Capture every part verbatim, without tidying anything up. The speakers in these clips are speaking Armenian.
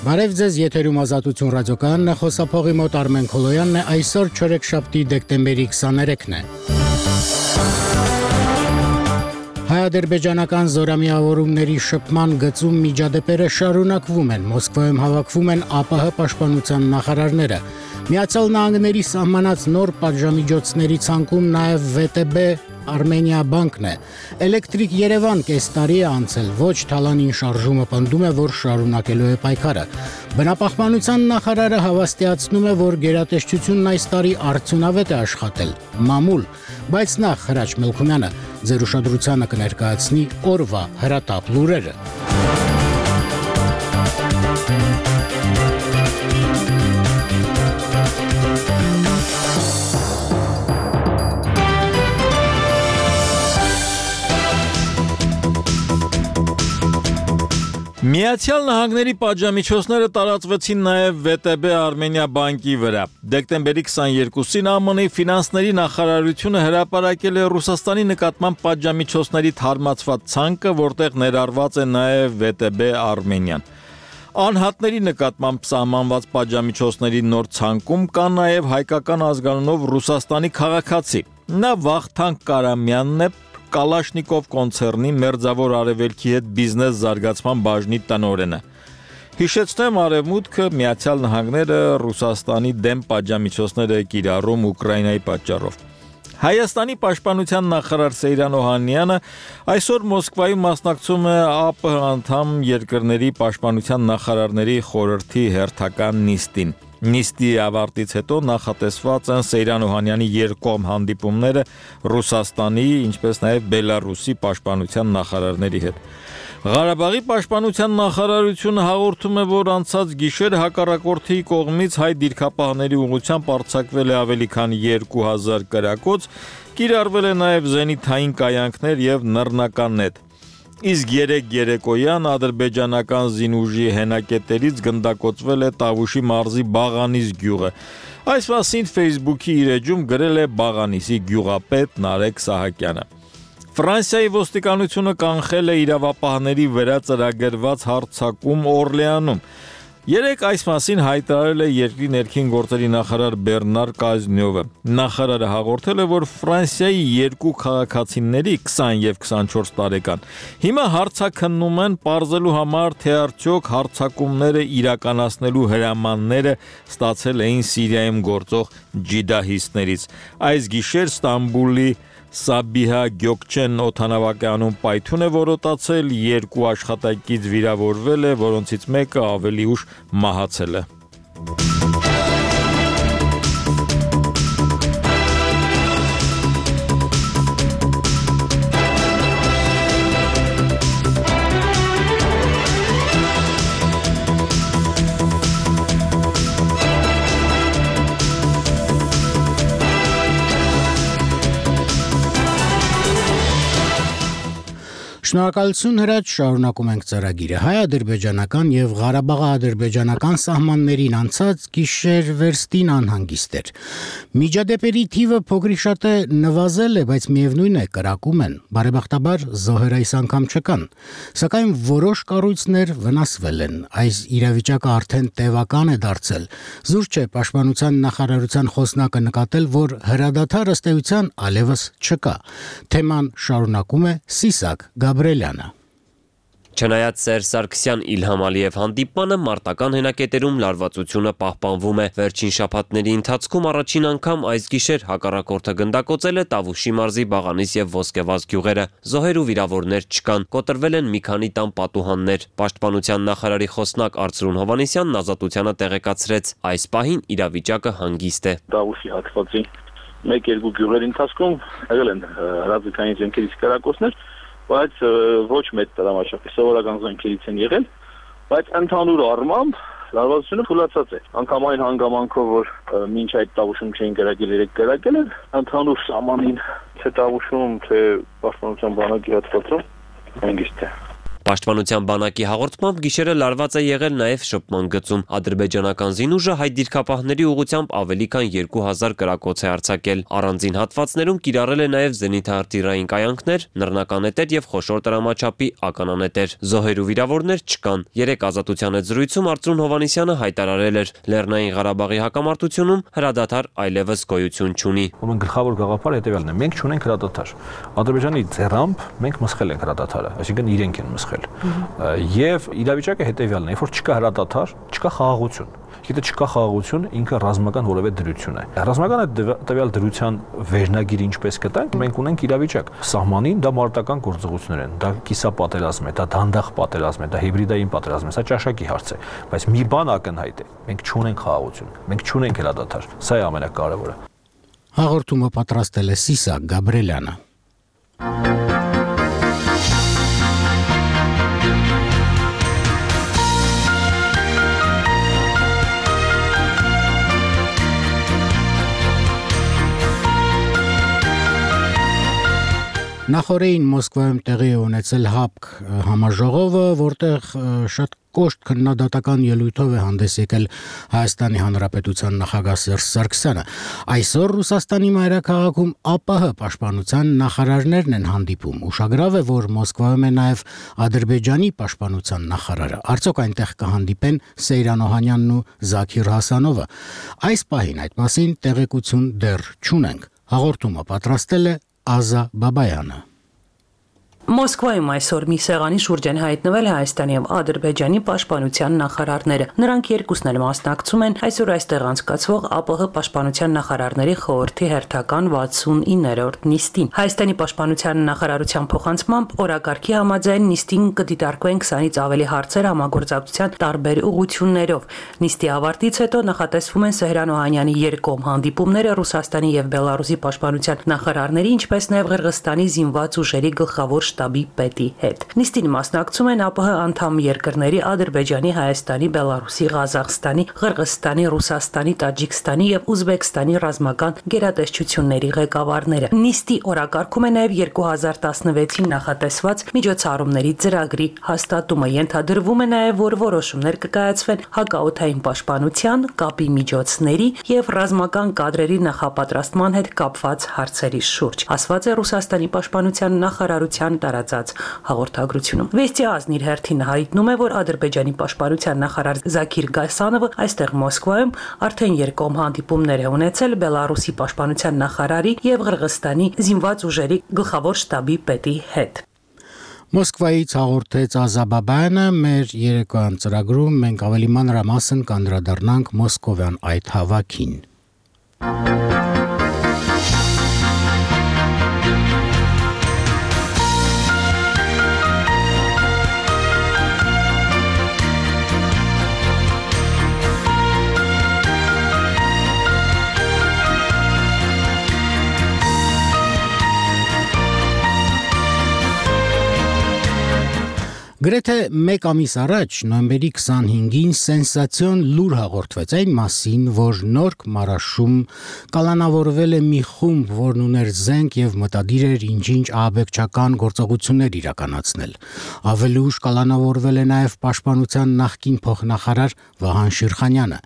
Բարև ձեզ, եթերում Ազատություն ռադիոկայանն է, խոսափողի մոտ Արմեն Քոլոյանն է, այսօր չորեքշաբթի դեկտեմբերի քսաներեքն է։ Հայ-ադրբեջանական զորամիավորումների շփման գծում միջադեպերը շարունակվում են, Մոսկվայում հավաքվում են ԱՊՀ պաշտպանության նախարարները։ Միացյալ Նահանգների սահմանած նոր պատժամիջոցների ցանկում նաև ՎՏԲ Armenia բանկն է։ Էլեկտրիկ Երևան կես տարի է անցել, ոչ թալանին շարժումը պնդում է, որ շարունակելու է պայքարը։ Բնապահպանության նախարարը հավաստիացնում է, որ գերատեսչությունն այս տարի արդյունավետ է աշխատել, մամուլ, բայց նախ Հրաչ Մելքումյանը ձեր ուշադրությանը կներկայացնի օրվա հրատապ լուրերը։ Միացյալ Նահանգների պատժամիջոցները տարածվեցին նաև ՎՏԲ Armenia բանկի վրա։ Դեկտեմբերի քսաներկուսին ԱՄՆ-ի ֆինանսների նախարարությունը հրապարակել է Ռուսաստանի նկատմամբ պատժամիջոցների թարմացված ցանկը, որտեղ ներառված է նաև ՎՏԲ Armenian։ Անհատների նկատմամբ սահմանված պատժամիջոցների նոր ցանկում կա նաև հայկական ազգանունով Ռուսաստանի քաղաքացի։ Նա Վախթանգ Կարամյանն է, Կալաշնիկով կոնցեռնի Մերձավոր Արևելքի հետ բիզնես զարգացման բաժնի տնօրենը։ Հիշեցնեմ, Արևմուտքը, Միացյալ Նահանգները Ռուսաստանի դեմ պատժամիջոցներ է կիրառում Ուկրաինայի պատճառով։ Հայաստանի պաշտպանության նախարար Սեյրան Օհաննյանը այսօր Մոսկվայում մասնակցում է ԱՊՀ անդամ երկրների պաշտպանության նախարարների խորհրդի հերթական նիստին։ Նիստի ավարտից հետո նախատեսված են Սեյրան Օհանյանի երկկողմ հանդիպումները Ռուսաստանի, ինչպես նաև Բելարուսի պաշտպանության նախարարների հետ։ Ղարաբաղի պաշտպանության նախարարությունը հաղորդում է, որ անցած գիշեր հակառակորդի կողմից հայ դիրքապահների ուղղությամբ արձակվել է ավելի քան երկու հազար կրակոց, կիրառվել է նաև զենիթային կայանքներ եւ նռնական նետ։ Իսկ երեք երեկոյան ադրբեջանական զինուժի հենակետերից գնդակոծվել է Տավուշի մարզի Բաղանիս գյուղը։ Այս մասին Facebook-ի իր էջում գրել է Բաղանիսի գյուղապետ Նարեկ Սահակյանը։ Ֆրանսիայի ոստիկանությունը կանխել է իրավապահների վրա ծրագրված հարձակում Օրլեանում։ Երեք այս մասին հայտարարել է երկրի ներքին գործերի նախարար Բեռնար Կազնյովը։ Նախարարը հաղորդել է, որ Ֆրանսիայի երկու քաղաքացիների քսան եւ քսանչորս տարեկան հիմա հարցաքննում են պարզելու համար, թե արդյոք հարձակումները իրականացնելու հրամանները ստացել էին Սիրիայում գործող ջիդահիստներից։ Այս գիշեր Ստամբուլի Սաբիհա Գյոկչեն օդանավակայանում պայթյուն է որոտացել, երկու աշխատակից վիրավորվել է, որոնցից մեկը ավելի ուշ մահացել է։ Շնորհակալություն Հրաչ, շարունակում ենք ծրագիրը։ Հայ-ադրբեջանական եւ Ղարաբաղ-ադրբեջանական սահմաններին անցած գիշեր վերստին անհանգիստ էր։ Միջադեպերի թիվը փոքրիկ շատ է նվազել է, բայց միևնույն է կրակում են։ Բարեբախտաբար զոհեր այս անգամ չկան, սակայն որոշ կառույցներ վնասվել են։ Այս իրավիճակը արդեն տևական է դարձել։ Զուր չէ պաշտպանության նախարարության խոսնակը նկատել, որ հրադադար ըստ էության այլևս չկա։ Թեման շարունակում է Սիսակ Գաբրելյանը։ Չնայած Սերժ Սարգսյան Իլհամ Ալիև հանդիպմանը մարտական հենակետերում լարվածությունը պահպանվում է։ Վերջին շաբաթների ընթացքում առաջին անգամ այս գիշեր հակառակորդը գնդակոծել է Տավուշի մարզի Բաղանիս եւ Ոսկեվազ գյուղերը։ Զոհեր ու վիրավորներ չկան, կոտրվել են մի քանի տան պատուհաններ։ Պաշտպանության նախարարի խոսնակ Արծրուն Հովհաննիսյանն Ազատությանը տեղեկացրեց, այս պահին իրավիճակը հանգիստ է։ Տավուշի հատվածի մեկ-երկու գյուղերի ընթացքում եղել են հրաձգային զենքերից կրակոցներ, բայց ոչ մեծ դրամաշապի սովորական զենքերից են եղել, բայց ընդհանուր առմամբ լարվածությունը թուլացած է։ Անգամ այն հանգամանքով, որ մինչ այդ Տավուշում չէին կրակել, երեք կրակել են, ընդհանուր սահմանին թե Տավուշում, թե պաշտպանության բանակի հատվածում հանգիստ է։ Պաշտպանության բանակի հաղորդմամբ գիշերը լարված է եղել նաև շփման գծում։ Ադրբեջանական զինուժը հայ դիրքապահների ուղղությամբ ավելի քան երկու հազար կրակոց է արձակել։ Առանձին հատվածներում կիրառել է նաև զենիթաարտիլերային կայանքներ, նռնականետեր եւ խոշոր տրամաչափի ականանետեր։ Զոհեր ու վիրավորներ չկան։ Երեք ազատության հետ զրույցում Արծրուն Հովհաննիսյանը հայտարարել էր. Լեռնային Ղարաբաղի հակամարտությունում հրադադար այլևս գոյություն չունի։ Ուրեմն գլխավոր գաղափարը հետեւյալն է. մենք չունենք հրադադար։ Ադրբեջանի ձեռամբ մենք մսխել ենք հրադադարը, այսինքն իրենք են մսխել։ Եվ իրավիճակը հետեւյալն է, երբ որ չկա հրադադար, չկա խաղաղություն։ Եթե չկա խաղաղություն, ինքը ռազմական որևէ դրություն է։ Ռազմական այդ տվյալ դրության վերնագիրը ինչպես կտանք, մենք ունենք իրավիճակ։ Սահմանին դա մարտական գործողություններ են, դա կիսապատերազմ է, դա դանդաղ պատերազմ է, դա հիբրիդային պատերազմ է, սա ճաշակի հարց է։ Բայց մի բան ակնհայտ է, մենք չունենք խաղաղություն, մենք չունենք հրադադար։ Սա է ամենակարևորը։ Հաղորդումը պատրաստել է Սիսակ Գաբրելյանը։ Նախորդին Մոսկվայում տեղի է ունեցել ՀԱՊԿ համաժողովը, որտեղ շատ կոշտ քննադատական ելույթով է հանդես եկել Հայաստանի Հանրապետության նախագահ Սերժ Սարգսյանը։ Այսօր Ռուսաստանի մայրաքաղաքում ԱՊՀ պաշտպանության նախարարներն են հանդիպում։ Ուշագրավ է, որ Մոսկվայում է նաև Ադրբեջանի պաշտպանության նախարարը։ Արդյոք այնտեղ կհանդիպեն Սեյրան Օհանյանն ու Զաքիր Հասանովը։ Այս պահին այդ մասին տեղեկություն դեռ չունենք։ Հաղորդումը պատրաստել է Ազա Բաբայանը։ Մոսկվայում այսօր մի սեղանի շուրջ են հայտնվել Հայաստանի եւ Ադրբեջանի պաշտպանության նախարարները։ Նրանք երկուսն էլ մասնակցում են այսօր այստեղ անցկացվող ԱՊՀ պաշտպանության նախարարների խորհրդի հերթական վաթսունիններորդ նիստին։ Հայաստանի պաշտպանության նախարարության փոխանցմամբ օրակարգի համաձայն նիստին կդիտարկվեն քսանից ավելի հարցեր համագործակցության տարբեր ուղղություններով։ Նիստի ավարտից հետո նախատեսվում են Սեյրան Օհանյանի երկկողմ հանդիպումները Ռուսաստանի եւ Բելարուսի պաշտպանության նախարարների, ինչպես նաեւ Ղրղստանի զինված ուժերի գլխավոր շտաբի պետի հետ։ Նիստին մասնակցում են ԱՊՀ անդամ երկրների Ադրբեջանի, Հայաստանի, Բելարուսի, Ղազախստանի, Ղրղստանի, Ռուսաստանի, Տաջիկստանի եւ Ուզբեկստանի ռազմական գերատեսչությունների ղեկավարները։ Նիստի օրակարգում է նաեւ երկու հազար տասնվեցին նախատեսված միջոցառումների ծրագրի հաստատումը։ Ենթադրվում է նաեւ, որ որոշումներ կկայացվեն հակաօդային պաշտպանության, կապի միջոցների եւ ռազմական կադրերի նախապատրաստման հետ կապված հարցերի շուրջ, ասված է Ռուսաստանի պաշտպանության նախարարության տարածած հաղորդագրությունում։ Վեստի ազնն իր հերթին հայտնում է, որ Ադրբեջանի պաշտպանության նախարար Զաքիր Գասանովը այստեղ Մոսկվայում արդեն երկկողմ հանդիպումներ է ունեցել Բելարուսի պաշտպանության նախարարի եւ Ղրղստանի զինված ուժերի գլխավոր շտաբի պետի հետ։ Մոսկվայից հաղորդեց Ազա Բաբայանը, մեր երեկոյան ծրագրում մենք ավելի մանրամասն կանդրադառնանք մոսկովյան այդ հավաքին։ Գրեթե մեկ ամիս առաջ, նոյեմբերի քսանհինգին, սենսացիոն լուր հաղորդվեց այն մասին, որ Նորք Մարաշում կալանավորվել է մի խումբ, որն ուներ զենք եւ մտադիր էր ինչ-ինչ ահաբեկչական գործողություններ իրականացնել։ Ավելի ուշ կալանավորվել է նաեւ պաշտպանության նախկին փոխնախարար Վահան Շիրխանյանը։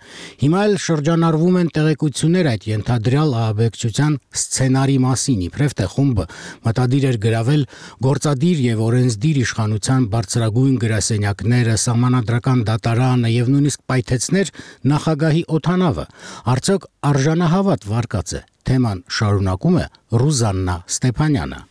Հիմա էլ շրջանառվում են տեղեկություններ այդ ենթադրյալ ահաբեկչության սցենարի մասին, իբրև թե խումբը մտադիր էր գրավել գործադիր եւ օրենսդիր իշխանության բարձրագույն գրասենյակները, սահմանադրական դատարանը եւ նույնիսկ պայթեցներ նախագահի օդանավը։ Արդյոք արժանահավատ վարկած է։ Թեման շարունակում է Ռուզաննա Ստեփանյանը։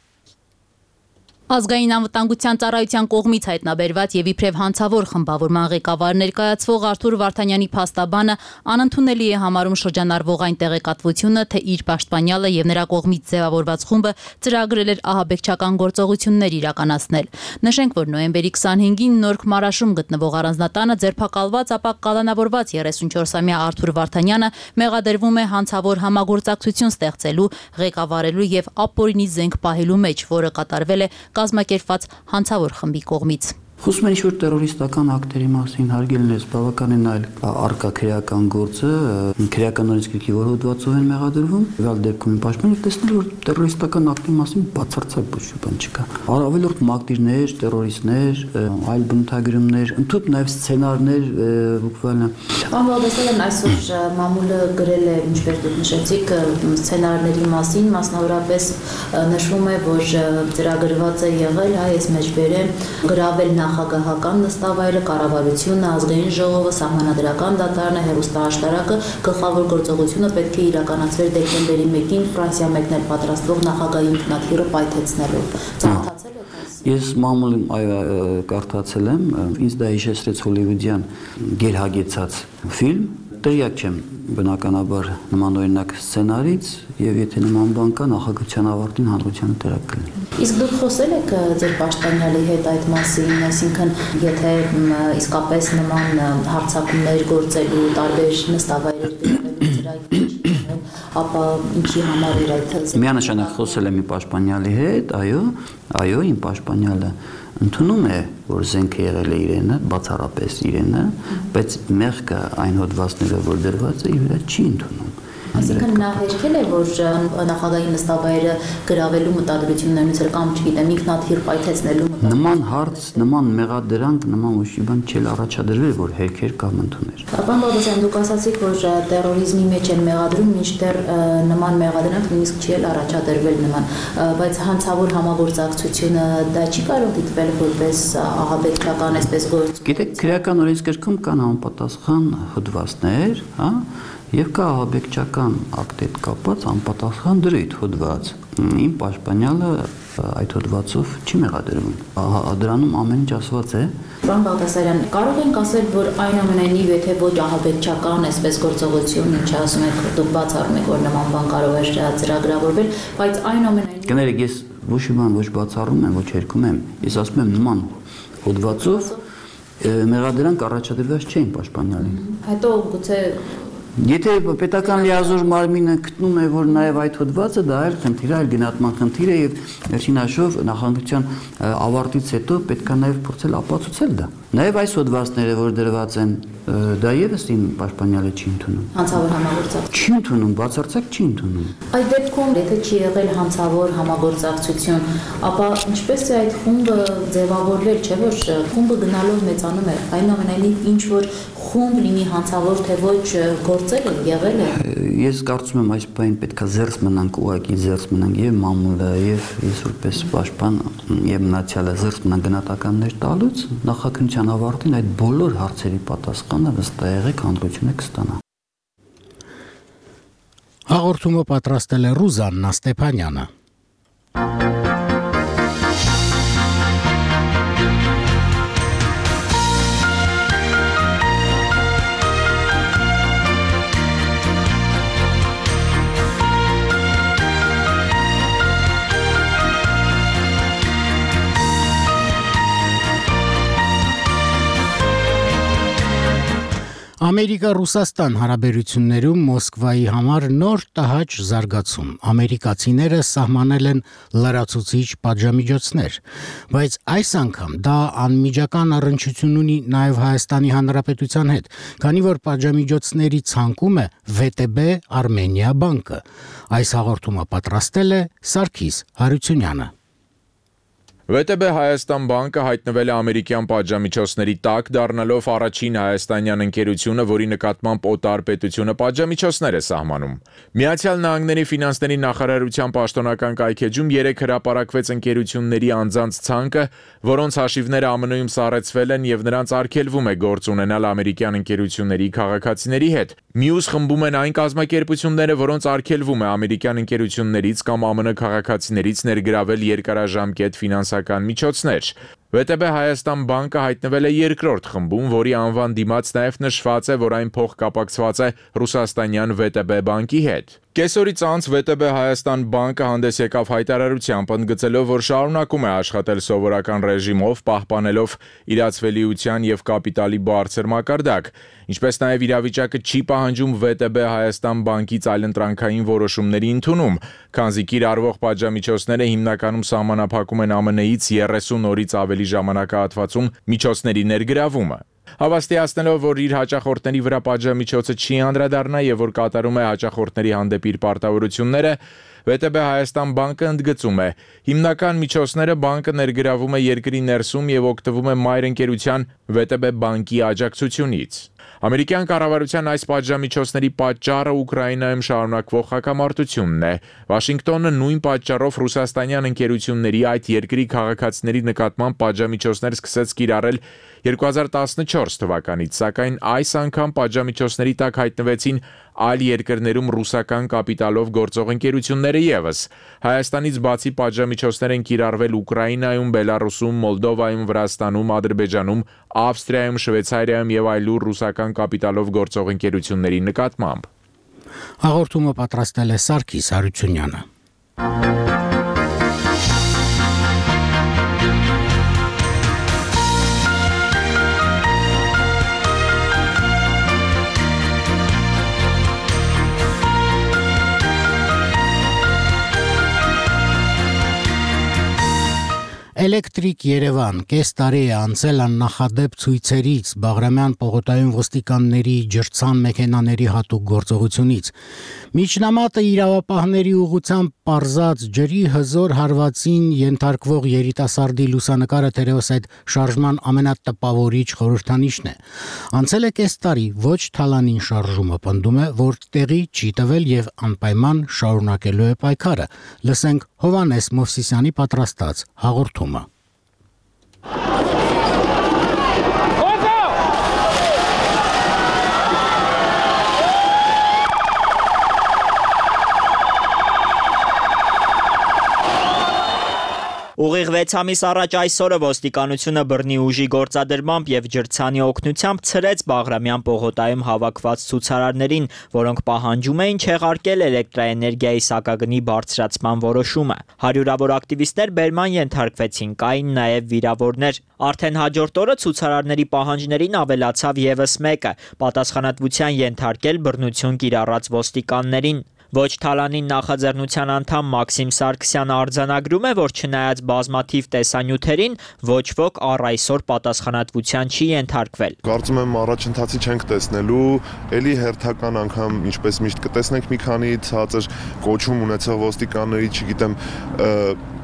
Ազգային անվտանգության ծառայության կողմից հայտնաբերված եւ իբրև հանցավոր խմբավորման ղեկավար ներկայացվող Արթուր Վարդանյանի փաստաբանը անընդունելի է համարում շրջանառվող այն տեղեկատվությունը, թե իր պաշտպանյալը եւ նրա կողմից ձևավորված խումբը ծրագրել էր ահաբեկչական գործողություններ իրականացնել։ Նշենք, որ նոյեմբերի քսանհինգին Նորք Մարաշում գտնվող առանձնատանը ձերբակալված, ապա կալանավորված երեսունչորսամյա Արթուր Վարդանյանը մեղադրվում է հանցավոր համագործակցություն ստեղծելու, ղեկավարելու եւ ապօրինի զենք պահելու մեջ, որը կատարվել է կազմակերպված հանցավոր խմբի կողմից։ Խոսում են ինչ-որ տերորիստական ակտերի մասին, հարգելն ես, բավականին այլ արկա քրեական գործը, քրեական օրենսգրքի որ հոդվածով են մեղադրվում, վալ դեպքում պաշտպանել, տեսնել, որ տերորիստական ակտի մասին բացարձակ ոչ մի բան չկա։ Ավելորդ մակտիրներ, տերորիստներ, այլ բնութագրումներ, ընդհանուր նաև սցենարներ, բուկվալը։ Պարոն Բաղդասարյան, այսօր մամուլը գրել է, ինչպես դուք նշեցիք, սցենարների մասին, մասնավորապես նշվում է, որ ծրագրված է եղել, հայ ես մեջ բերեմ, գրավել նախագահական նստավայրը, կառավարությունը, ազգային ժողովը, սահմանադրական դատարանը, հեռուստաաշտարակը, գլխավոր գործողությունը պետք է իրականացվեր դեկտեմբերի մեկին Ֆրանսիա մեկնել պատրաստվող նախագահի ինքնաթիռը պայթեցնելով։ Ծանոթացել եք այս։ Ես մամուլին կարդացել եմ, ինձ դա հիշեցրեց հոլիվուդյան գերհագեցած ֆիլմ, տեղյակ չեմ բնականաբար նմանօրինակ սցենարից եւ եթե նման բան կա նախագահության ավարտին հանրությանը տեղակ կլինի։ Իսկ դուք խոսել եք ձեր պաշտպանյալի հետ այդ մասին, այսինքն եթե իսկապես նման հարձակումներ գործելու տարբեր նստավայրեր գրավելու ծրագիր, ապա ինչի համար էր այդ։ Միանշանակ խոսել եմ իմ պաշտպանյալի հետ, այո, այո, իմ պաշտպանյալը ընդունում է, որ զենքը եղել է իրենը, բացառապես իրենը, բայց մեղքը այն հոդվածները, որ դրված է, իր վրա չի ընդունում։ Այսինքն նա հերքել է, որ նախագահի նստավայրը գրավելու մտադրությունն ունեցել կամ չգիտեմ, ինքնաթիռ պայթեցնելու մտադրություն։ Նման հարց, նման մեղադրանք, նման ոչ մի բան չէր առաջադրվել, որ հերքեր կամ ընդուներ։ Պարոն Բաղդասարյան, դուք ասացիք, որ տերորիզմի մեջ են մեղադրում, մինչդեռ նման մեղադրանք նույնիսկ չի էլ առաջադրվել նման, բայց հանցավոր համագործակցությունը դա չի կարող դիտվել որպես ահաբեկչական այսպես գործ։ Գիտեք, քրեական օրենսգրքում կան համապատասխան հոդվածներ, հա, եւ կա ահաբեկչական ակտ հետ կապված անպատասխան դրույթ հոդված։ Իմ պաշտպանյալը այդ հոդվածով չի մեղադրվում։ Դրանում ամեն ինչ ասված է։ Պարոն Բաղդասարյան, կարող ենք ասել, որ այնուամենայնիվ եթե ոչ ահաբեկչական այսպես գործողություն, ինչ ասում եք, դուք բացառում եք, որ նման բան կարող է ծրագրավորվել, բայց այնուամենայնիվ Կներեք, ես ոչ մի բան ոչ բացառում եմ, ոչ հերքում եմ։ Ես ասում եմ նման հոդվածով մեղադրանք առաջադրված չէ իմ պաշտպանյալին։ Հետո գուցե Եթե պետական լիազոր մարմինը գտնում է, որ նաև այդ հոդվածը դա այլ խնդիր է, այլ գնահատման խնդիր է եւ վերջին հաշվով նախագահության ավարտից հետո պետք է նաև փորձել ապացուցել դա։ Նաև այս հոդվածները, որ դրված են, դա եւս իմ պաշտպանյալը չի ընդունում։ Հանցավոր համագործակցություն չի ընդունում, բացարձակ չի ընդունում։ Այդ դեպքում, եթե չի եղել հանցավոր համագործակցություն, ապա ինչպես է այդ խումբը ձևավորվել, չէ՞ որ խումբը գնալով մեծանում է, այնուամենայնիվ ինչ որ խումբ լինի հանցավոր թե ոչ գործել է, եղել է։ Ես կարծում եմ այս բանը պետքա զերծ մնանք, ուղղակի զերծ մնանք եւ մամուլը եւ ես որպես պաշտպան եւ մնացյալը զերծ մնան գնահատականներ տալուց նախագահության ավարտին այդ բոլոր հարցերի պատասխանը վստահ հանրությունը կստանա։ Հաղորդումը պատրաստել է Ռուզաննա Ստեփանյանը։ Ամերիկա-Ռուսաստան հարաբերություններում Մոսկվայի համար նոր տհաճ զարգացում։ Ամերիկացիները սահմանել են լրացուցիչ պատժամիջոցներ, բայց այս անգամ դա անմիջական առնչություն ունի նաև Հայաստանի Հանրապետության հետ, քանի որ պատժամիջոցների ցանկում է վե տե բե Արմենիա բանկը։ Այս հաղորդումը պատրաստել է Սարգիս Հարությունյանը։ վե տե բե Հայաստան բանկը հայտնվել է ամերիկյան պատժամիջոցների տակ, դառնալով առաջին հայաստանյան ընկերությունը, որի նկատմամբ օտար պետությունը պատժամիջոցներ է սահմանում։ Միացյալ Նահանգների ֆինանսների նախարարության պաշտոնական կայքեջում երեք հրապարակվեց ընկերությունների անձանց ցանկը, որոնց հաշիվները է մը-ում սառեցվել են եւ նրանց արգելվում է գործ ունենալ ամերիկյան ընկերությունների քաղաքացիների հետ։ Մյուս խմբում են այն կազմակերպությունները, որոնց արգելվում է ամերիկյան ընկերություններից կամ ಆ մը քաղաքացիներից ներգրավել երկարաժամկետ ֆինանսական միջոցներ։ վե տե բե Հայաստան բանկը հայտնվել է երկրորդ խմբում, որի անվան դիմաց նաև նշված է, որ այն փոխկապակցված է ռուսաստանյան վե տե բե բանկի հետ։ Կեսօրից անց վե տե բե Հայաստան բանկը հանդես եկավ հայտարարությամբ, ընդգծելով, որ շարունակում է աշխատել սովորական ռեժիմով, պահպանելով իրացվելիության եւ կապիտալի բարձր մակարդակ, ինչպես նաև իրավիճակը չի պահանջում վե տե բե Հայաստան բանկից այլընտրանքային որոշումների ընդունում, քանզի կիրառվող պատժամիջոցները հիմնականում սահմանափակում են ಆ մը-ից երեսուն օրից ավելի ավելի ժամանակահատվածում միջոցների ներգրավումը։ Հավաստիացնելով, որ իր հաճախորդների վրա պատժամիջոցը չի անդրադառնա եւ որ կատարում է հաճախորդների հանդեպ իր պարտավորությունները, վե տե բե Հայաստան բանկը ընդգծում է. հիմնական միջոցները բանկը ներգրավում է երկրի ներսում եւ օգտվում է մայր ընկերության վե տե բե բանկի աջակցությունից։ Ամերիկյան կառավարության այս պատժամիջոցների պատճառը Ուկրաինայում շարունակվող հակամարտությունն է։ Վաշինգտոնը նույն պատճառով ռուսաստանյան ընկերությունների այդ երկրի քաղաքացիների նկատմամբ պատժամիջոցներ սկսեց կիրառել երկու հազար տասնչորս թվականից, սակայն այս անգամ պատժամիջոցների տակ հայտնվեցին այլ երկրներում ռուսական կապիտալով գործող ընկերությունները ևս։ Հայաստանից բացի պատժամիջոցներ են կիրառվել Ուկրաինայում, Բելարուսում, Մոլդովայում, Վրաստանում, Ադրբեջանում, Ավստրիայում, Շվեյցարիայում եւ այլուր ռուսական կապիտալով գործող ընկերությունների նկատմամբ։ Հաղորդումը պատրաստել է Սարգիս Հարությունյանը։ Էլեկտրիկ Երևան կես տարի է անցել աննախադեպ ցույցերից, Բաղրամյան պողոտայում ոստիկանների ջրցան մեքենաների հատուկ գործողությունից։ Միջնամատը իրավապահների ուղղությամբ պարզած ջրի հզոր հարվածին ենթարկվող երիտասարդի լուսանկարը թերևս այդ շարժման ամենատպավորիչ խորհրդանիշն է։ Անցել է կես տարի, ոչ թալանին շարժումը պնդում է, որ տեղի չի տվել եւ անպայման շարունակելու է պայքարը։ Լսենք Հովանես Մովսիսյանի պատրաստած հաղորդումը։ Ուղիղ վեց ամիս առաջ այսօրը ոստիկանությունը բռնի ուժի գործադրմամբ եւ ջրցանի օգնությամբ ցրեց Բաղրամյան պողոտայում հավաքված ցուցարարներին, որոնք պահանջում էին չեղարկել էլեկտրաէներգիայի սակագնի բարձրացման որոշումը։ Հարյուրավոր ակտիվիստներ բերման ենթարկվեցին, կային նաեւ վիրավորներ։ Արդեն հաջորդ օրը ցուցարարների պահանջներին ավելացավ եւս մեկը՝ պատասխանատվության ենթարկել բռնություն կիրառած ոստիկաններին։ Ոչ թալանին նախաձեռնության անդամ Մաքսիմ Սարգսյանը արձանագրում է, որ չնայած բազմաթիվ տեսանյութերին, ոչ ոք առ այսօր պատասխանատվության չի ենթարկվել։ Կարծում եմ առաջընթացի չենք տեսնելու, ելի հերթական անգամ ինչպես միշտ կտեսնենք մի քանի ցածր կոչում ունեցող ոստիկանների, չգիտեմ,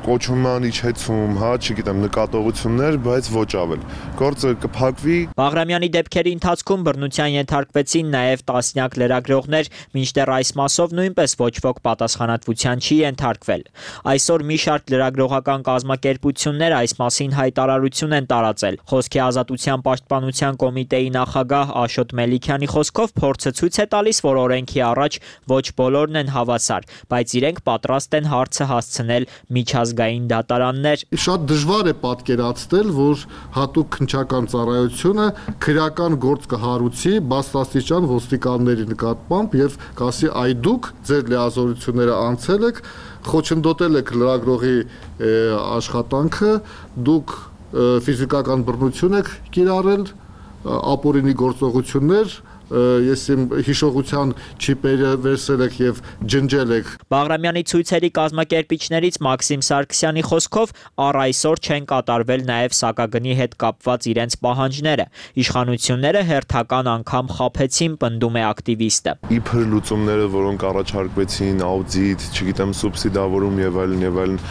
կոչման իջեցում, հա, չգիտեմ, նկատողություններ, բայց ոչ ավել։ Գործը կփակվի։ Բաղրամյանի դեպքերի ընթացքում բռնության ենթարկվեցին նաև տասնյակ լրագրողներ, մինչդեռ այս մասով նույնպես ոչ ոք պատասխանատվության չի ենթարկվել։ Այսօր մի շարք լրագրողական կազմակերպություններ այս մասին հայտարարություն են տարածել։ Խոսքի ազատության պաշտպանության կոմիտեի նախագահ Աշոտ Մելիքյանի խոսքով փորձը ցույց է տալիս, որ օրենքի առաջ ոչ բոլորն են հավասար, բայց իրենք պատրաստ են հարցը հասցնել միջազգային դատարաններ։ Շատ դժվար է պատկերացնել, որ հատուկ քննչական ծառայությունը քրեական գործ կհարուցի բաստաստիճան ոստիկանների նկատմամբ եւ կասի այ դուք ձեր լիազորությունները անցել եք, խոչընդոտել եք լրագրողի աշխատանքը, դուք ֆիզիկական բռնություն եք կիրառել, ապօրինի գործողություններ, ես իմ հիշողության չիպերը վերցրել եք եւ ջնջել եք։ Բաղրամյանի ցույցերի կազմակերպիչներից Մաքսիմ Սարգսյանի խոսքով առ այսօր չեն կատարվել նաեւ սակագնի հետ կապված իրենց պահանջները։ Իշխանությունները հերթական անգամ խաբեցին, պնդում է ակտիվիստը։ Իբր լուծումները, որոնք առաջարկվեցին, աուդիտ, չգիտեմ, սուբսիդավորում եւ այլն եւ այլն,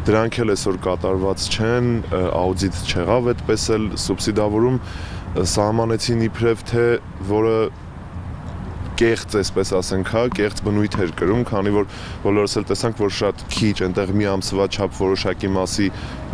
դրանք էլ այսօր կատարված չեն, աուդիտ չեղավ այդպես էլ սուբսիդավորում սահմանեցին իբրև թե որը կեղծ, այսպես ասենք, հա, կեղծ բնույթ էր կրում, քանի որ բոլորս էլ տեսանք, որ շատ քիչ այնտեղ մի ամսվա չափ որոշակի մասի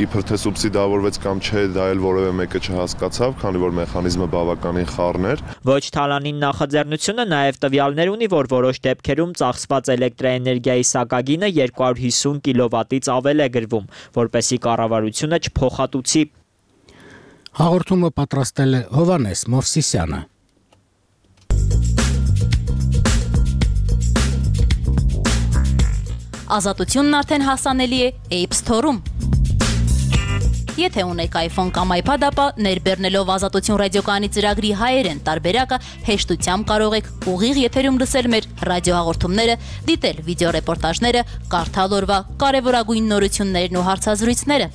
իբր թե սուբսիդավորվեց կամ չէ, դա էլ որևէ մեկը չհասկացավ, քանի որ մեխանիզմը բավականին խառն էր։ Ոչ թալանին նախաձեռնությունը նաև տվյալներ ունի, որ որոշ դեպքերում ծախսված էլեկտրաէներգիայի սակագինը երկու հարյուր հիսուն կիլովատից ավել է գրվում, որպեսզի կառավարությունը չփոխհատուցի։ Հաղորդումը պատրաստել է Հովանես Մովսիսյանը։ Ազատությունն արդեն հասանելի է App Store-ում։ Եթե ունեք iPhone կամ iPad, ապա ներբեռնելով Ազատություն ռադիոկայանի ծրագրի հայերեն տարբերակը հեշտությամբ կարող եք ուղիղ եթերում լսել մեր ռադիոհաղորդումները, դիտել վիդեոռեպորտաժները, կարդալ օրվա կարևորագույն նորություններն ու հարցազրույցները։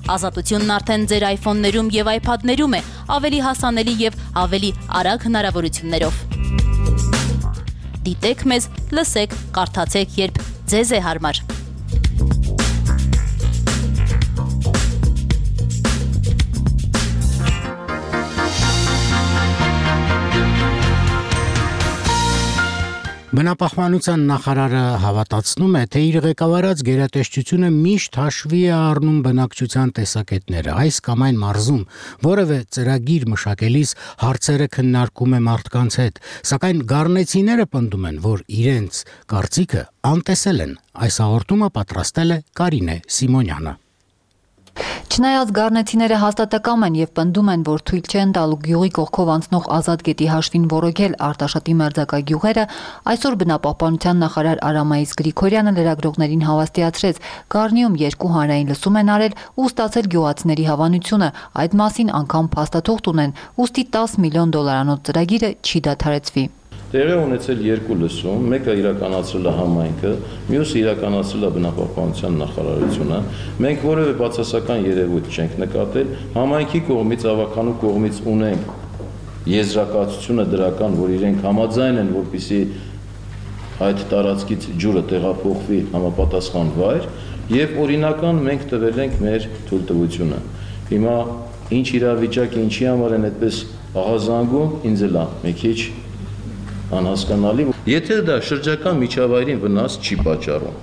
Ազատությունն արդեն ձեր iPhone-ներում եւ iPad-ներում է, ավելի հասանելի եւ ավելի արագ հնարավորություններով։ Դիտեք մեզ, լսեք, կարդացեք, երբ ձեզ է հարմար։ Բնապահպանության նախարարը հավատացնում է, թե իր ղեկավարած գերատեսչությունը միշտ հաշվի է առնում բնակչության տեսակետները, այս կամ այն մարզում, որևէ ծրագիր մշակելիս հարցերը քննարկում է մարդկանց հետ, սակայն գառնեցիները պնդում են, որ իրենց կարծիքը անտեսել են։ Այս հաղորդումը պատրաստել է Կարինե Սիմոնյանը։ Չնայած գառնեցիները հաստատակամ են եւ պնդում են, որ թույլ չեն տալու գյուղի կողքով անցնող ազատ գետի հաշվին որոգել Արտաշատի մերձակա գյուղերը, այսօր բնապահպանության նախարար Արամայիս Գրիգորյանը լրագրողներին հավաստիացրեց, Գառնիում երկու հանրային լսում են արել ու ստացել գյուղացիների հավանությունը, այդ մասին անգամ փաստաթուղթ ունեն, ուստի տասը միլիոն դոլարանոց ծրագիրը չի դադարեցվի։ Տեղի ունեցել երկու լսում, մեկը իրականացրել է համայնքը, մյուսը իրականացրել է բնապահպանության նախարարությունը։ Մենք որևէ բացասական երևույթ չենք նկատել, համայնքի կողմից, ավականու կողմից ունենք եզրակացությունը դրական, որ իրենք համաձայն են, որպեսզի այդ տարածքից ջուրը տեղափոխվի համապատասխան վայր, եւ օրինական մենք տվել ենք մեր թույլտվությունը։ Հիմա ինչ իրավիճակ, ինչի համար են այդպես աղազանգում, ինձ էլ է մի քիչ անհասկանալի, եթե դա շրջակա միջավայրին վնաս չի պատճառում,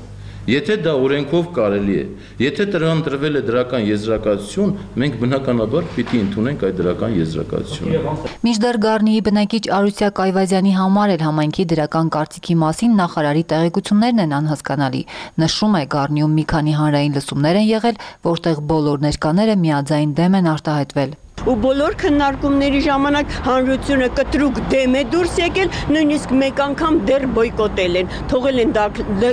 եթե դա օրենքով կարելի է, եթե դրան տրվել է դրական եզրակացություն, մենք բնականաբար պիտի ընդունենք այդ դրական եզրակացությունը։ Մինչդեռ Գառնիի բնակիչ Արուսյա Կայվազյանի համար էլ համայնքի դրական կարծիքի մասին նախարարի տեղեկություններն են անհասկանալի։ Նշում է, Գառնիում մի քանի հանրային լսումներ են եղել, որտեղ բոլոր ներկաները միաձայն դեմ են արտահայտվել։ Ու բոլոր քննարկումների ժամանակ հանրությունը կտրուկ դեմ է դուրս եկել, նույնիսկ մեկ անգամ դեռ բոյկոտել են, թողել են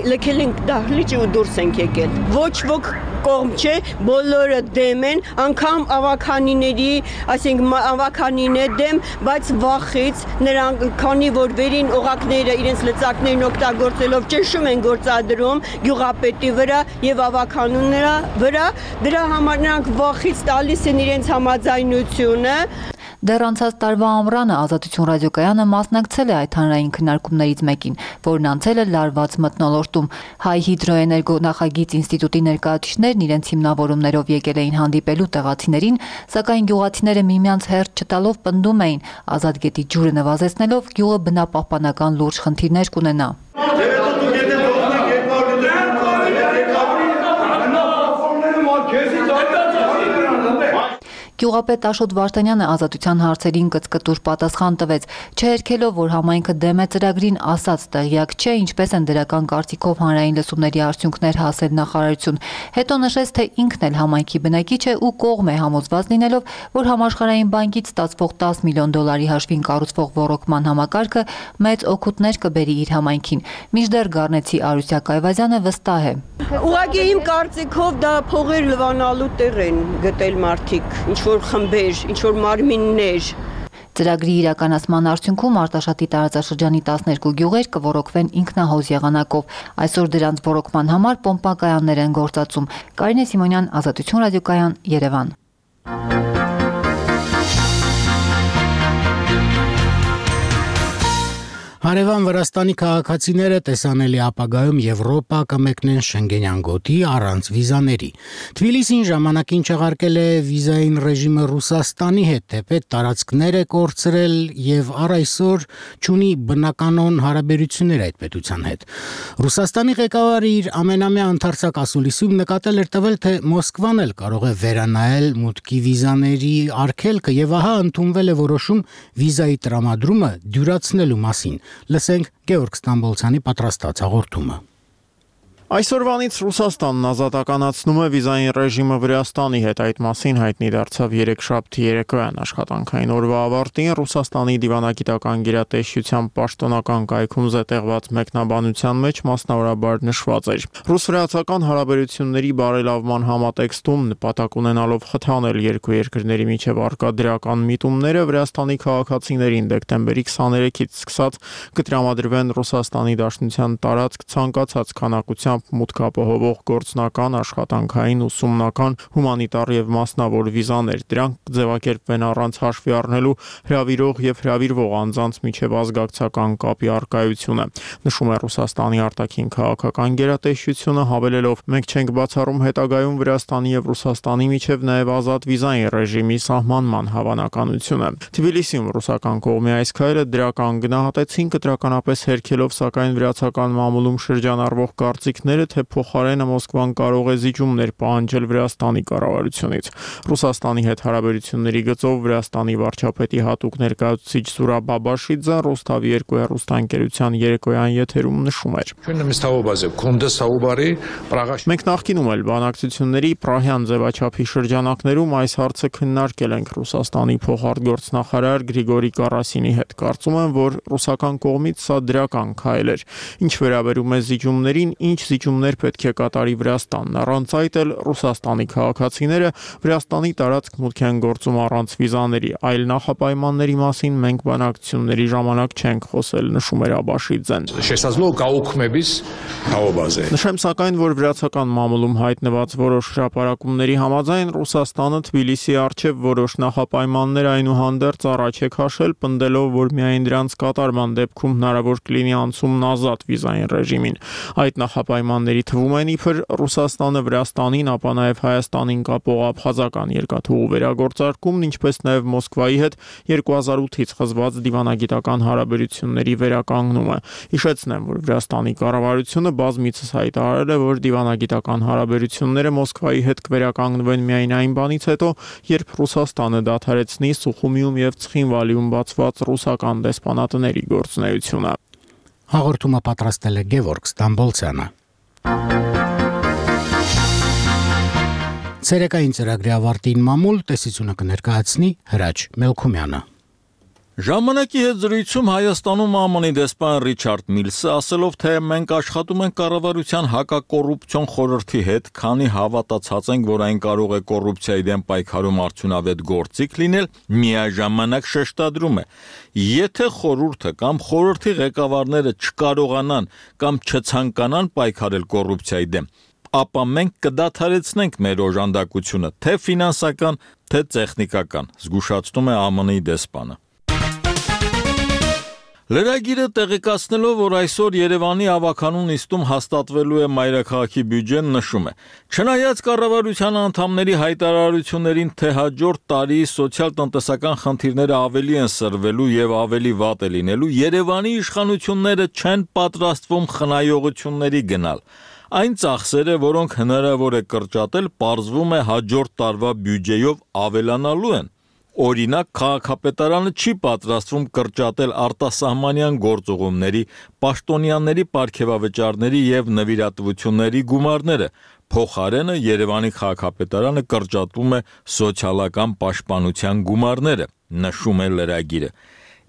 լքել են դահլիճը ու դուրս են եկել։ Ոչ ոք կողմ չէ, բոլորը դեմ են, անգամ ավականիների, այսինքն ավականին է դեմ, բայց վախից նրանք, քանի որ վերին օղակները իրենց լծակներն օգտագործելով ճնշում են գործադրում գյուղապետի վրա եւ ավականուների վրա, դրա համար նրանք վախից տալիս են իրենց համաձայնությունը։ Դեռ անցած տարվա ամռանը Ազատություն ռադիոկայանը մասնակցել է այդ հանրային քննարկումներից մեկին, որն անցել է լարված մթնոլորտում։ Հայ հիդրոէներգո նախագիծ ինստիտուտի ներկայացուցիչներն իրենց հիմնավորումներով եկել էին հանդիպելու տեղացիներին, սակայն գյուղացիները միմյանց հերթ չտալով պնդում էին, ազատ գետի ջուրը նվազեցնելով գյուղը բնապահպանական լուրջ խնդիրներ կունենա։ Գյուղապետ Աշոտ Վարդանյանը Ազատության հարցերին կծկտուր պատասխան տվեց, չհերքելով, որ համայնքը դեմ է ծրագրին, ասաց տեղյակ չէ, ինչպես են դրական կարծիքով հանրային լսումների արդյունքներ հասել նախարարություն։ Հետո նշեց, թե ինքն էլ համայնքի բնակիչ է ու կողմ է, համոզված լինելով, որ Համաշխարհային բանկից ստացվող տասը միլիոն դոլարի հաշվին կառուցվող ոռոգման համակարգը մեծ օգուտներ կբերի իր համայնքին։ Մինչդեռ Գառնեցի Արուսյա Կայվազյանը վստահ է։ Ուղղակի իմ կարծիքով դա փողեր լվանալու տեղ են գտել մարդիկ, ինչ որ խմբեր, ինչ որ մարմիններ։ Ծրագրի իրականացման արդյունքում Արտաշատի տարածաշրջանի տասներկու գյուղեր կոռոգվեն ինքնահոզ եղանակով։ Այսօր դրանց ոռոգման համար պոմպակայաններ են գործածում։ Կարինե Սիմոնյան, Ազատություն ռադիոկայան, Երևան։ Հարևան Վրաստանի քաղաքացիները տեսանելի ապագայում Եվրոպա կմեկնեն Շենգենյան գոտի առանց վիզաների։ Թբիլիսին ժամանակին չեղարկել է վիզային ռեժիմը Ռուսաստանի հետ, թեպետ տարածքներ է կորցրել եւ առ այսօր չունի բնականon հարաբերություններ այդ պետության հետ։ Ռուսաստանի ղեկավարը իր ամենամյա ընդարձակ ասուլիսում նկատել էր տվել, թե Մոսկվան էլ կարող է վերանայել մուտքի վիզաների արգելքը եւ ահա ընդունվել է որոշում վիզայի տրամադրումը դյուրացնելու մասին։ Լսենք Գեորգ Ստամբոլցյանի պատրաստած հաղորդումը։ Այսօրվանից Ռուսաստանն ազատականացնում է վիզային ռեժիմը Վրաստանի հետ, այդ մասին հայտնի դարձավ երեքշաբթի երեկոյան աշխատանքային օրվա ավարտին Ռուսաստանի դիվանագիտական գերատեսչության պաշտոնական կայքում զետեղված մեկնաբանության մեջ մասնավորաբար նշված էր. Ռուս-վրացական հարաբերությունների բարելավման համատեքստում նպատակ ունենալով խթանել երկու երկրների միջև առկա դրական միտումները Վրաստանի քաղաքացիներին դեկտեմբերի քսաներեքից սկսած կտրամադրվեն Ռուսաստանի Դաշնության տարածք ցանկացած քանակությամբ ուղղությամբ մուտք ապահովող գործնական, աշխատանքային, ուսումնական, հումանիտար եւ մասնավոր վիզաներ։ Դրանք կձևակերպվեն առանց հաշվի առնելու հրավիրող եւ հրավիրվող անձանց միջև ազգակցական կապի առկայությունը, նշում է Ռուսաստանի արտաքին քաղաքական գերատեսչությունը, հավելելով. մենք չենք բացառում հետագայում Վրաստանի եւ Ռուսաստանի միջև նաեւ ազատ վիզային ռեժիմի սահմանման հավանականությունը։ Թբիլիսիում ռուսական կողմի այս քայլը դրական գնահատեցին, կտրականապես հերքելով սակայն վրացական մամուլում շրջանառվող կարծիքները, թե փոխարենը Մոսկվան կարող է զիջումներ պահանջել Վրաստանի կառավարությունից։ Ռուսաստանի հետ հարաբերությունների գծով Վրաստանի վարչապետի հատուկ ներկայացուցիչ Զուրաբ Բաբաշիձեն Ռոստավի երկու հեռուստաընկերության երեկոյան եթերում նշում էր. Մենք նախկինում էլ բանակցությունների Պրահյան ձևաչափի շրջանակներում այս հարցը քննարկել ենք Ռուսաստանի փոխարտգործնախարար Գրիգորի Կարասինի հետ։ Կարծում եմ, որ ռուսական կողմից սա դրական քայլ էր։ Ինչ վերաբերում է զիջումներին, ինչ զիջումներ պետք է կատարի Վրաստանն, առանց այդ էլ Ռուսաստանի քաղաքացիները Վրաստանի տարածք մուտք են գործում առանց վիզաների, այլ նախապայմանների մասին մենք բանակցությունների ժամանակ չենք խոսել, նշում էր Աբաշիձեն։ Նշեմ սակայն, որ վրացական մամուլում հայտնված որոշ հրապարակումների համաձայն Ռուսաստանը Թբիլիսիի առջև որոշ նախապայմաններ այնուհանդերձ առաջ է քաշել, պնդելով, որ միայն դրանց կատարման դեպքում հնարավոր կլինի անցումն ազատ վիզային ռեժիմին։ Այդ նախապայմանների թվում են իբր Ռուսաստանը Վրաստանին, ապա նաև Հայաստանին կապող աբխազական երկաթուղու վերագործարկումն, ինչպես նաև Մոսկվայի հետ երկու հազար ութից խզված դիվանագիտական հարաբերությունների վերականգնումը։ Հիշեցնեմ, որ Վրաստանի կառավարությունը բազմիցս հայտարարել է, որ դիվանագիտական հարաբերությունները Մոսկվայի հետ կվերականգնվեն միայն այն բանից հետո, երբ Ռուսաստանը դադարեցնի Սուխումիում եւ Ցխինվալիում բացված ռուսական դեսպանատների գործունեությունը։ Հաղորդումը պատրաստել է Գևորգ Ստամբոլցյանը։ Ցերեկային ծրագրի ավարտին մամուլ տեսությունը կներկայացնի Հրաչ Մելքումյանը։ Ժամանակի հետ զրույցում Հայաստանում ԱՄՆ-ի դեսպան Ռիչարդ Միլսը ասելով, թե մենք աշխատում ենք կառավարության հակակոռուպցիոն խորհրդի հետ, քանի հավատացած ենք, որ այն կարող է կոռուպցիայի դեմ պայքարում արդյունավետ գործիք լինել, միաժամանակ շեշտադրում է. եթե խորհուրդը կամ խորհրդի ղեկավարները չկարողանան կամ չցանկանան պայքարել կոռուպցիայի դեմ, ապա մենք կդադարեցնենք մեր օժանդակությունը, թե ֆինանսական, թե տեխնիկական, զգուշացնում է ԱՄՆ-ի դեսպանը։ Լրագիրը տեղեկացնելով, որ այսօր Երևանի ավականու նիստում հաստատվելու է մայրաքաղաքի բյուջեն, նշում է. չնայած կառավարության անդամների հայտարարություններին, թե հաջորդ տարի սոցիալ-տնտեսական խնդիրները ավելի են սրվելու եւ ավելի վատ է լինելու, Երևանի իշխանությունները չեն պատրաստվում խնայողությունների գնալ։ Այն ծախսերը, որոնք հնարավոր է կրճատել, պարզվում է հաջորդ տարվա բյուջեով ավելանալու են։ Օրինակ, քաղաքապետարանը չի պատրաստվում կրճատել արտասահմանյան գործուղումների, պաշտոնյաների պարգևավճարների եւ նվիրատվությունների գումարները։ Փոխարենը Երևանի քաղաքապետարանը կրճատում է սոցիալական պաշտպանության գումարները, նշում է լրագիրը։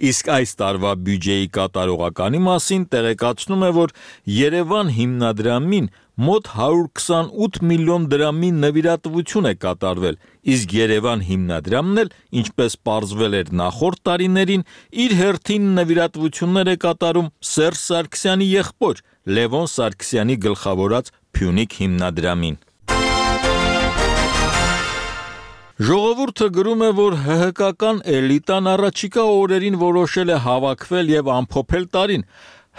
Իսկ այս տարվա բյուջեի կատարողականի մասին տեղեկացնում է, որ Երևան հիմնադրամին մոտ հարյուր քսանութ միլիոն դրամի նվիրատվություն է կատարվել, իսկ Երևան հիմնադրամն էլ, ինչպես պարզվել էր նախորդ տարիներին, իր հերթին նվիրատվություններ է կատարում Սերժ Սարգսյանի եղբոր Լևոն Սարգսյանի գլխավորած Փյունիկ հիմնադրամին։ Ժողովուրդը գրում է, որ ՀՀԿ-ական էլիտան առաջիկա օրերին որոշել է հավաքվել եւ ամփոփել տարին։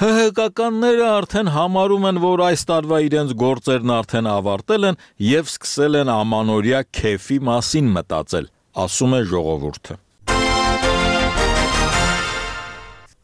ՀՀԿ-ականները արդեն համարում են, որ այս տարվա իրենց գործերն արդեն ավարտել են եւ սկսել են ամանորյա քեֆի մասին մտածել, ասում է ժողովուրդը։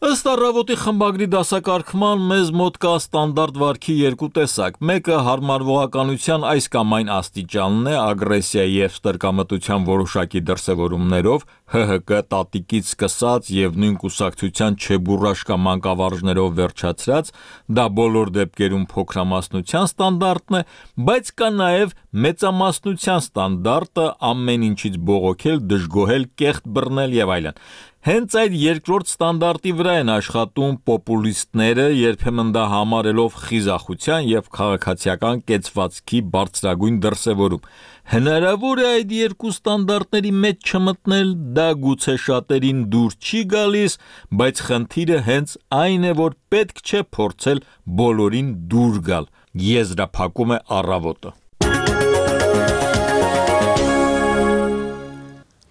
Ըստ առավոտի խմբագրի դասակարգման մեզ մոտ կա ստանդարտ վարքի երկու տեսակ։ Մեկը հարմարվողականության այս կամ այն աստիճանն է, ագրեսիայի եւ ստրկամտության որոշակի դրսևորումներով, ՀՀԿ տատիկից սկսած եւ նույն կուսակցության չեբուրաշկա մանկավարժներով վերջացրած, դա բոլոր դեպքերում փոքրամասնության ստանդարտն է, բայց կա նաեւ մեծամասնության ստանդարտը, ամեն ինչից բողոքել, դժգոհել, կեղտ բռնել եւ այլն։ Հենց այդ երկրորդ ստանդարտի վրա են աշխատում պոպուլիստները, երբեմն դա համարելով խիզախության եւ քաղաքացիական կեցվածքի բարձրագույն դրսևորում։ Հնարավոր է այդ երկու ստանդարտների մեջ չմտնել, դա գուցե շատերին դուր չի գալիս, բայց խնդիրը հենց այն է, որ պետք չէ փորձել բոլորին դուր գալ։ եզրափակում է առավոտը։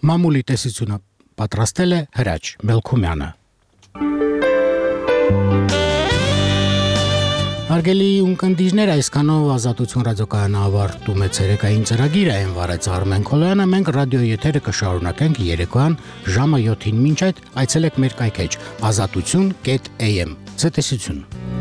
Մամուլի տեսությունը պատրաստել է Հրաչ Մելքումյանը։ Հարգելի ունկնդիրներ, այսքանով Ազատություն ռադիոկայանը ավարտում է ցերեկային ծրագիրը, այն վարեց Արմեն Քոլոյանը, մենք ռադիո եթերը կշարունակենք երեկոյան ժամը յոթին, մինչ այդ այցելեք մեր կայքեջ ազատություն կետ էյ էմ։ Ցտեսություն։